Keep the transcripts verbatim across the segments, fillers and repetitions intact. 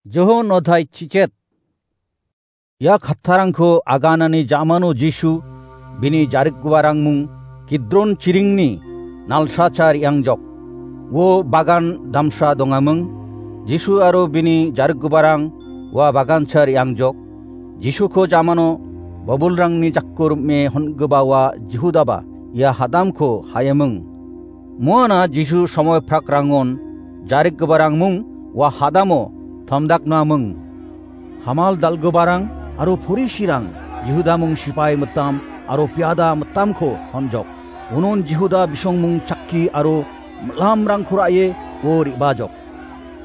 Johon odhai chichet. Ia kattarangko aganani jamano Jisu bini jarikgiparangmung Kidron chiringni nalsacha re·angjok. Uo bagan damsa dongaming. Jisu aro bini jarikgiparang ua bagancha re·angjok. Jisuko jamano bobolrangni jako rim·e hon·gipa ua Jihudaba ia hadamko ha·eming. Muana Jisu somoi prakrangon jarikgiparangmung ua hadamo tomdaknaming. Kamal dal·giparang aro porisirang Jihudamung sipai mitam aro piada mitamko honjok. Unon Jihuda bisongmung chakki aro mil·amrangko ra·e uo re·bajok.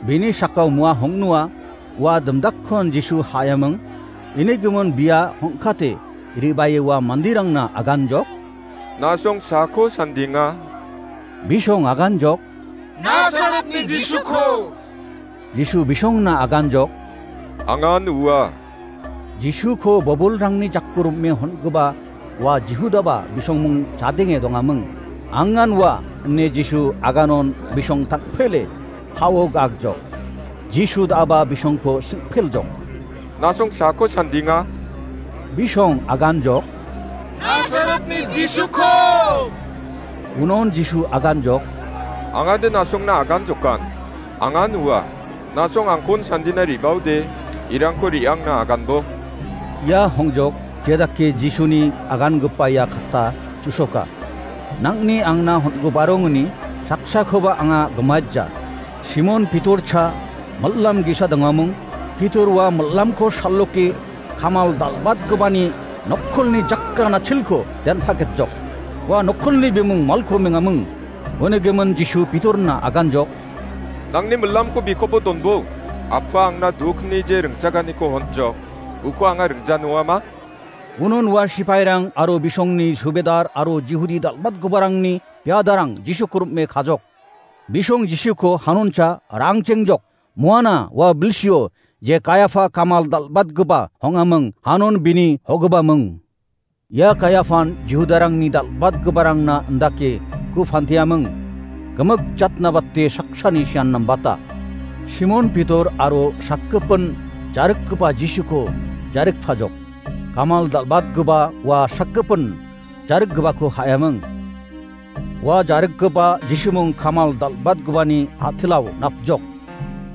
Bini sakao mua hong·noa ua dimdakkon Jisu ha·eming. Ini gimin bia hong·kate re·bae ua manderangna aganjok. Nasong sako sandinga. Bisong aganjok. Nasaretni Jisuko. Jisu bisongna aganjok. Angan ua. Jisuko bobolrangni jako rim·e hon·gipa ua Jihudaba bisongmung chadenge dongaming. Angan ua ine Jisu aganon bisong takpele ha·o gagjok. Jisu da·aba bisongko singpeljok. Nasong sako sandinga. Bisong aganjok. Nasaretni Jisuko. Unon Jisu aganjok. Angade nasongna aganjokan. Angan ua. Nasong angkon sandina re·baode, irangko re·angna aganbo. Ia hongjok, jedake Jisuni agangipa ia katta chusoka. Nang·ni angna hon·giparongni saksakoba anga gimaija. Simon Pitorcha mil·lam ge·sa dongaming. Pitor ua mil·lamko saloke kamal dal·batgipani nokkolni jakkan achilko den·paketjok. Ua nokkolni bimung Malko mingaming. Uni gimin Jisu Pitorna aganjok. Nangni mil·lamko bikopo donbo. Appa angna dukni je ringchaganiko honjok. Uko anga ringjanoama? Unon ua sipairang aro bisongni subedar aro Jihudi dal·batgiparangni piadarang Jisuko rim·e kajok. Bisong Jisuko hanoncha rangchengjok. Muana ua bilsio je Kaiafa kamal dal·batgipa hong·aming, hanon bini hogipaming. Ia Kaiafan Jihudarangni dal·batgiparangna indake ku panteaming, gimik jatna bate saksani sian nambata. Simon Pitor aro sakgipin jarikgipa Jisuko jarikpajok. Kamal dal·batgipa ua sakgipin jarikgipako ha·eming. Ua jarikgipa Jisumung kamal dal·batgipani a·tilao napjok.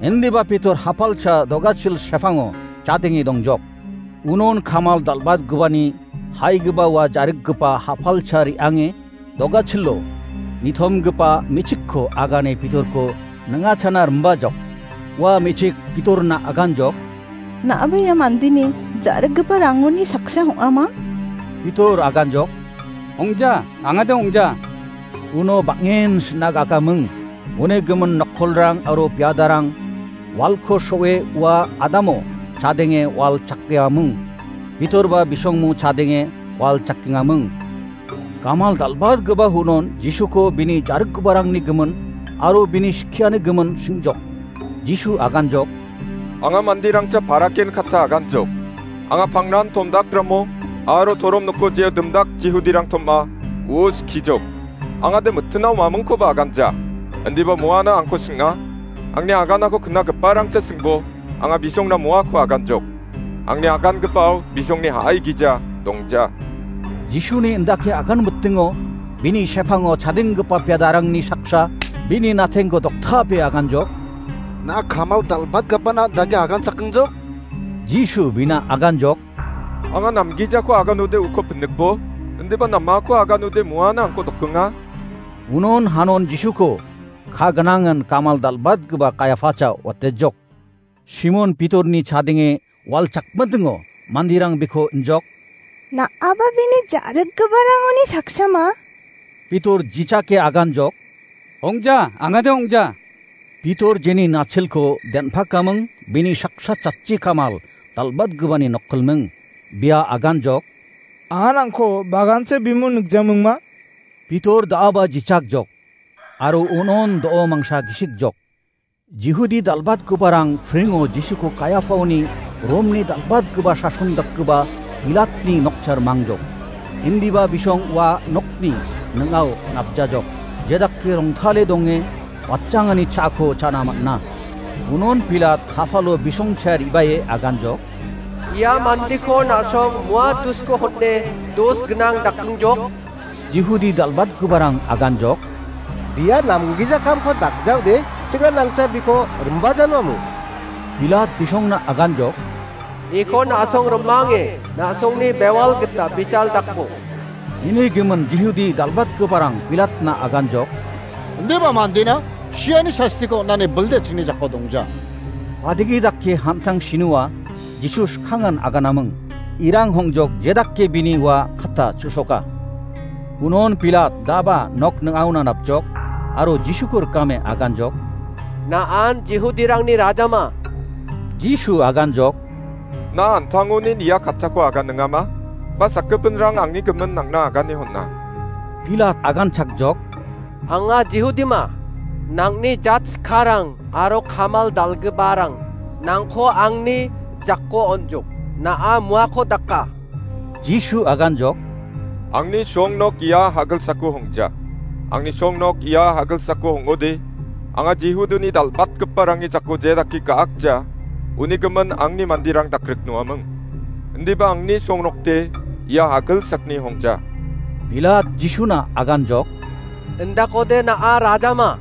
Indiba Pitor hapalcha dogachil sepango chadenge dongjok. Unon kamal dal·batgipani haigipa ua jarikgipa hapalcha re·ange dogachilo nitomgipa me·chikko agane Pitorko ning·achana rimbajok. Ua me·chik Pitorna aganjok. Na·aba ia mandeni jarikgipa rangoni saksa ong·ama? Pitor aganjok. Ong·ja, angade ong·ja. Uno bang·en sinaga akaming. Uni gimin nokkolrang aro piadarang walko so·e ua adamo chadenge wal chakkeaming. Pitorba bisongmo chadenge wal chakkengaming. Kamal dal·batgipa hunon Jisuko bini jarikgiparangni gimin aro bini skiani gimin singjok. Jisu aganjok. Anga manderangcha paraken katta aganjok. Anga pangnan tomdakramo aro torom noko jeo dimdak Jihudirang tom·a, uo skijok. Angade mitinao mamingkoba aganja. Indiba moana angko sing·a. Angni aganako knagiparangcha singbo, anga bisongna moako aganjok. Angni agangipao bisongni ha·ai gija dongja. Jisuni indake agan mitingo, bini sepango chadenggipa piadarangni saksa bini natengko doktape aganjok. Na kamal dal·batgipana dake agan chakengjok? Jisu bina aganjok. Anga namgijako aganode uko pinikbo, indiba namako aganode moana angko dokenga. Unon hanon Jisuko ka gnangan kamal dal·batgipa Kaiafacha watejok. Simon Pitorni chadenge wal chakmitingo manderang biko injok. Na·aba bini jarikgiparangoni saksama? Pitor jichake aganjok. Ong·ja, angade ong·ja. Pitor jeni nachilko den·pakaming bini saksa chatchi kamal dal·batgipani nokkolming. Bia aganjok. Anga nangko bagancha bimung nikjamingma? Pitor da·aba jichakjok. Aro unon do·o mangsa gisikjok. Jihudi dal·batgiparang pringo Jisuko Kaiafaoni Romni dal·batgipa sason dakgipa Pilatni nokchar mangjok. Indiba bisong ua nokni ning·ao napjajok. Jedake rongtale donge watchangani cha·ako cha·na man·a. Unon Pilat ha·palo bisongcha re·bae aganjok. Ia mandiko na·song mua dusko hone dos gnang dakengjok. Jihudi dal·batgiparang aganjok. Bia namgijakamko dakjaode, singanangcha biko rimbajanomu. Pilat bisongna aganjok. Iko na·song rimange, na·songni bewal gita bijal dakbo. Ini gimin Jihudi dal·batgiparang Pilatna aganjok. Indiba mandena siani sastiko on·ani bilde chingni jako dongja. Badigi dake hamtang sinua Jisu skangan aganaming. Irang hongjok jedake bini ua kata chusoka. Unon Pilat daba nok ning·aona napjok, aro Jisuko rikame aganjok. Na·an Jihudirangni rajama? Jisu aganjok. Na an·tangonin ia katako aganingama? Ba sakgipinrang angni gimin nangna agane hon·a? Pilat aganchakjok. Anga Jihudima, nangni jat skarang aro kamal dal·giparang nangko angni jako on·jok, na·a muako daka. Jisu aganjok. Angni songnok ia hagilsako hongja. Angni songnok ia hagilsako hong·ode, anga Jihudini dal·batgiparangni jako je dake ga·akja, uni gimin angni manderang dakriknoaming. Indiba angni songnokde ia hagilsakni hongja. Pilat Jisuna aganjok. Indakode na·a rajama?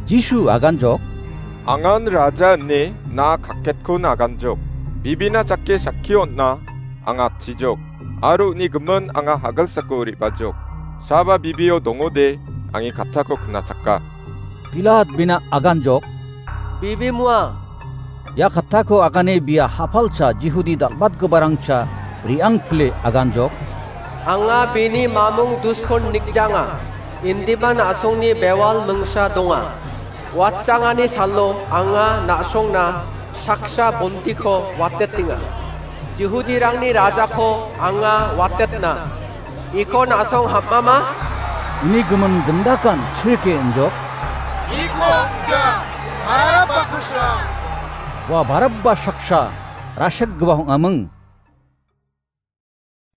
Jisu aganjok. Angan raja ine na kakketko aganjok. Bibina jake sakki on·a anga atchijok. Aro uni gimin anga hagilsako re·bajok. Saba bibio dongode, angni katako knachaka. Pilat bina aganjok. Bibi mua. Ia katako agane bia ha·palcha Jihudi dal·batgiparangcha re·angpile aganjok. Anga bini mamung duskon nikjanga. Indiba na·songni bewal mingsa donga. Watchangani salo anga na·songna saksa bontiko watetenga. Jihudirangni rajako anga watetna. Iko na·song ham·ama? Uni gimin gindakan chirike injok. Iko ja, Barabba kusra. Ua Barabba saksa, rasek giba hong·aming.